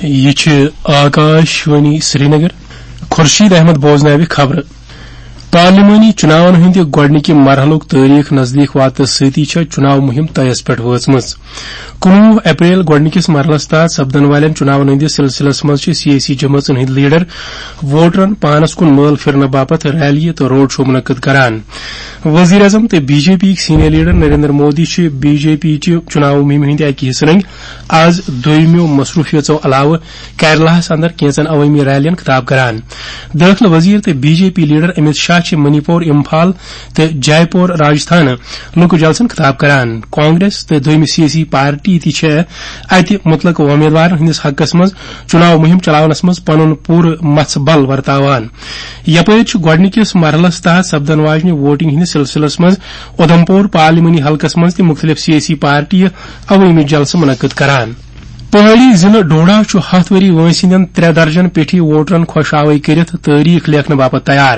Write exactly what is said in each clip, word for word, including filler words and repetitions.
یہِ چھِ آکاش وانی سرینگر۔ خورشید احمد بوزناوِ خبرٕ۔ پارلیمانی چُناون ہٕنٛدِ گۄڈٕنِکہِ مرحلُک تٲریخ نزدیٖک واتنس سۭتی چھےٚ چُناو مُہِم طیس پٮ۪ٹھ وٲژمٕژ۔ کُنوُہ اپریل گۄڈٕنِکِس مرحلس تحت سپدن والٮ۪ن چُناون ہٕنٛدِس سلسلس منٛز چھِ سیٲسی جمٲژن ہٕنٛدۍ لیڈر ووٹرن پانس کُن مٲل پھِرنہٕ باپتھ ریلیہِ تہٕ روڈ شو منعقد کران۔ وزیر اعظم تہٕ بی جے پی یِکۍ سینئر لیڈر نریندر مودی چھِ بی جے پی چہِ چُناو مُہِمہِ ہٕنٛدِ اَکہِ حصہٕ رٔنٛگۍ آز دوٚیمیو مصروٗفیژو علاوٕ کیرلاہَس اندر کینژن عوٲمی ریلین خطاب کران۔ دٲخلہٕ وزیر تہٕ B J P leader Amit Shah چھِ منی پور، امپھال تہٕ جے پور راجستھانہٕ لُکہٕ جلسن خطاب کران۔ کانگریس تہٕ دوٚیمہِ سیٲسی پارٹی تہِ چھےٚ اتہِ مُتلقہٕ وۄمیدوارن ہٕنٛدِس حقس منٛز چُناو مُہِم چلاونس منٛز پنُن پوٗرٕ مژھ بل ورتاوان۔ یپٲرۍ چھُ گۄڈٕنِکِس مرحلس تحت سپدن واجنہِ ووٹنگ ہٕنٛدِس سلسلس منٛز اُدھمپور پارلیمانی حلقس منٛز تہِ مُختٔلِف سیٲسی پارٹیہِ عوٲمی جلسہٕ منعقد کران۔ پہٲڑی ضلعہٕ ڈوڈا چھُ ہَتھ ؤری وٲنٛسہِ ہٕنٛدٮ۪ن ترٛےٚ درجن پیٹھی ووٹرن خۄش آوٲیی کٔرِتھ تٲریخ لیکھنہٕ باپتھ تیار۔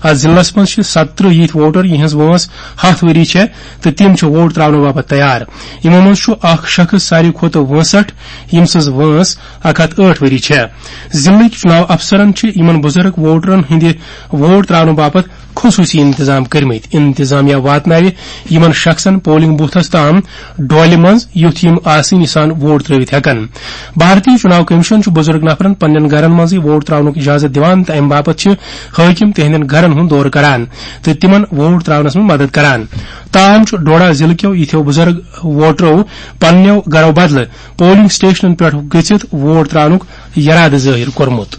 اتھ ضلعس منٛز چھِ ستترٕہ یِتھۍ ووٹر، یِہنٛز وٲنٛس ہَتھ ؤری چھےٚ تہٕ تِم چھِ ووٹ تراونہٕ باپتھ تیار۔ یِمو منٛز چھُ اکھ شخص ساروی کھۄتہٕ وٲنٛسٹھ، ییٚمۍ سٕنٛز وٲنٛس اکھ ہتھ ٲٹھ ؤری چھےٚ۔ ضلعٕکۍ چُناو افسرن چھِ یِمن بُزرگ ووٹرن ہٕنٛدِ ووٹ تراونہٕ باپتھ خصوٗصی انتظام کٔرمٕتۍ۔ انتظامیہ واتناوِ یِمن شخصن پولنگ بوتھس تام ڈولہِ منٛز، یُتھ یِم آسٲنی سان ووٹ ترٲوِتھ ہٮ۪کن۔ بھارتی چُناو کمیشن چھُ بُزرگ نفرن پننٮ۪ن گرن منٛزٕے ووٹ تراونُک اجازت دِوان تہٕ امہِ باپتھ چھِ حٲکِم تِہنٛدٮ۪ن گرن ہُنٛد دورٕ کران تہٕ تِمن ووٹ تراونس منٛز مدد کران۔ تاہم چھُ ڈوڈا ضلعہٕ کیو یِتھیو بُزرگ ووٹرو پننٮ۪و گرو بدلہٕ پولنگ سٹیشنن پٮ۪ٹھ گٔژھِتھ ووٹ تراونُک یرادٕ ظٲہِر کوٚرمُت۔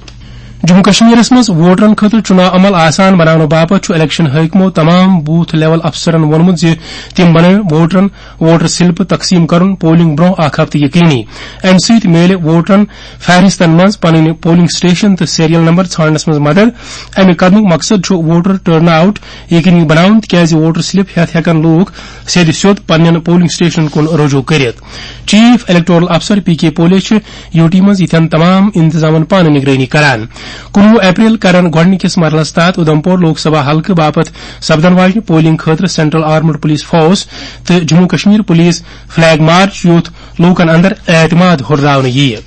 جموں کشمیرس منٛز ووٹرن خٲطرٕ چُناو عمل آسان بناونہٕ باپتھ چھُ الیکشن حٲکمو تمام بوتھ لیول افسرن ووٚنمُت زِ تِم بنٲوِن ووٹرن ووٹر سلپہٕ تقسیٖم کرُن پولنگ برونٛہہ اکھ ہفتہٕ یقینی۔ امہِ سۭتۍ میلہِ ووٹرن فہرستن منٛز پنٕنۍ پولنگ سٹیشن تہٕ سیریل نمبر ژھانڈنس منٛز مدد۔ امہِ قدمُک مقصد چھُ ووٹر ٹرن آؤٹ یقینی بناوُن، تِکیازِ ووٹر سلپ ہٮ۪تھ ہٮ۪کن لوٗکھ سیٚدِ سیوٚد پننٮ۪ن پولنگ سٹیشنن کُن رجوع کٔرِتھ۔ چیف الیکٹورل افسر پی کے پولے چھِ یو ٹی منٛز یِتھٮ۪ن تمام انتظامن پانہٕ نگرٲنی کران۔ کُنوُہ اپریل کرن گۄڈٕنِکِس مرحلس تحت اُدھمپور لوک سبھا حلقہٕ باپتھ سپدن واجنہِ پولنگ خٲطرٕ سینٹرل آرمڈ پولیس فورس تہٕ Jammu Kashmir police flag march, یُتھ لوٗکن اندر اعتماد ہُرراونہٕ یِیہِ۔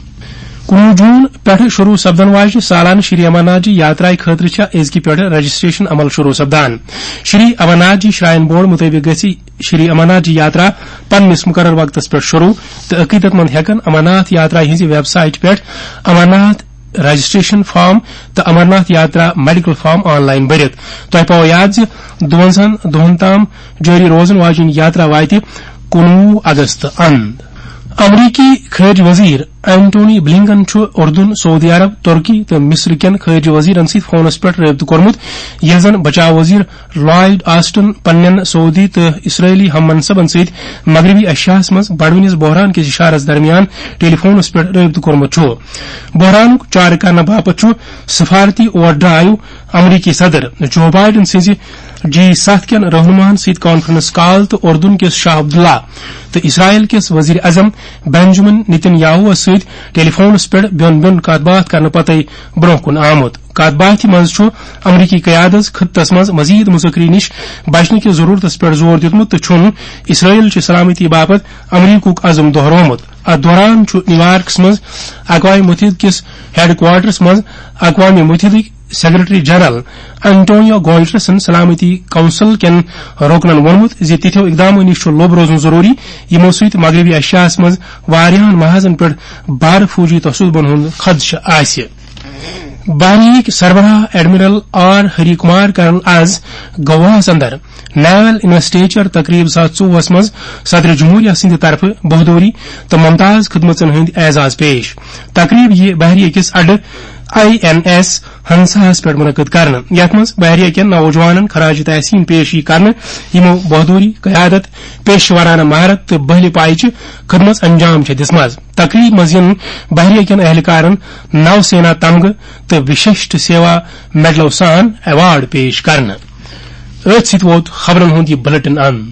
کُنوُہ جون پٮ۪ٹھٕ شروع سپدن واجنہِ سالانہٕ شری امرناتھ جی یاترایہِ خٲطرٕ چھےٚ أزکہِ پٮ۪ٹھٕ رجسٹریشن عمل شروع سپدان۔ شری امرناتھ جی شراین بورڈ مُطٲبِق گژھِ شری امرناتھ جی یاترا پننِس مُقرر وقتس پٮ۪ٹھ شروع، تہٕ عقیدت مند ہٮ۪کن امرناتھ یاترا ہٕنٛزِ ویب سایٹ پٮ۪ٹھ امرناتھ رجسٹریشن فارم تہٕ امرناتھ یاترا میڈیکل فارم آن لائن بٔرِتھ۔ تۄہہِ پاوو یاد زِ دُوَنزاہَن دۄہَن تام جٲری روزن واجیٚنۍ یاترا واتہِ کُنوُہ اگست اند۔ امریکی خارجہ وزیر اینٹونی بلنکن چھُ اردن، سعودی عرب، ترکی تہٕ مصر کٮ۪ن خارجہ وزیرن سۭتۍ فونس پٮ۪ٹھ رٲبطہٕ کوٚرمُت، ییٚلہِ زن بچاو وزیر لائیڈ آسٹن پننٮ۪ن سعودی تہٕ اسرائیلی ہم منصبن سۭتۍ مغربی ایشیاہس منٛز بڑوٕنس بحران کِس اشارس درمیان ٹیلی فونس پٮ۪ٹھ رٲبطہٕ کوٚرمُت چھُ۔ بحرانُک چارٕ کرنہٕ باپتھ چھُ سفارتی اوور ڈرائیو۔ امریکی صدر جو بائیڈن سٕنٛزِ جی ستھ کٮ۪ن رہنماہن سۭتۍ کانفرنس کال تہٕ اردن کِس شاہ عبداللہ تہٕ اسرائیل کِس وزیر اعظم بنجمن نتن یاہوس سۭتۍ ٹیلی فونس پٮ۪ٹھ بیوٚن بیوٚن کتھ باتھ کرنہٕ پتَے برونٛہہ کُن آمُت۔ کتھ باتھِ منٛز چھُ امریکی قیادس خطس منٛز مزید مذاکرٕ نِش بچنہٕ کِس ضرورتس پٮ۪ٹھ زور دیُتمُت تہٕ چھُن اسرائیل چہِ سلامتی باپتھ امریکُک عزم دہرومُت۔ اتھ دوران چھُ نیویارکس منٛز اقوام متحدہ کِس ہیڈ کوارٹرس منٛز اقوام متحدٕکۍ سیکرٹری جنرل انٹونیو گوٹرسن سلامتی کونسل کٮ۪ن رُکنن ووٚنمُت زِ تِتھیو اقدامو نِش چھُ لوٚب روزُن ضروٗری، یِمو سۭتۍ مغربی ایشیاہس منٛز واریاہن محاذن پٮ۪ٹھ بھارٕ فوجی تشددن ہُنٛد خدشہٕ آسہِ۔ بحریہٕکۍ سربراہ ایڈمرل آر ہری کمار کرن از گواہس اندر نیول انویسٹیچر تقریب زٕ ساس ژوٚوُہس منٛز صدر جمہوریہ سٕنٛدِ طرفہٕ بہادری تہٕ ممتاز خدمژن ہٕنٛدۍ اعزاز پیش۔ تقریب یِیہِ بحریہ کِس اڈٕ آئی این ایس ہنساہس پٮ۪ٹھ منعقد کرنہٕ، یتھ منٛز بحریہ کٮ۪ن نوجوانن خراج تحسین پیش یِیہِ کرنہٕ، یِمو بہادری، قیادت، پیشورانہ مہارت تہٕ بہلہِ پایچہِ خدمژ انجام چھےٚ دِژمٕژ۔ تقریب منٛز یِن بحریہ کٮ۪ن اہلکارن نو سینا تمغہٕ تہٕ وششٹ سیوا میڈلو سان ایوارڈ پیش کرنہٕ۔ أتھۍ سۭتۍ ووت خبرن ہُنٛد یہِ بلیٹن اند۔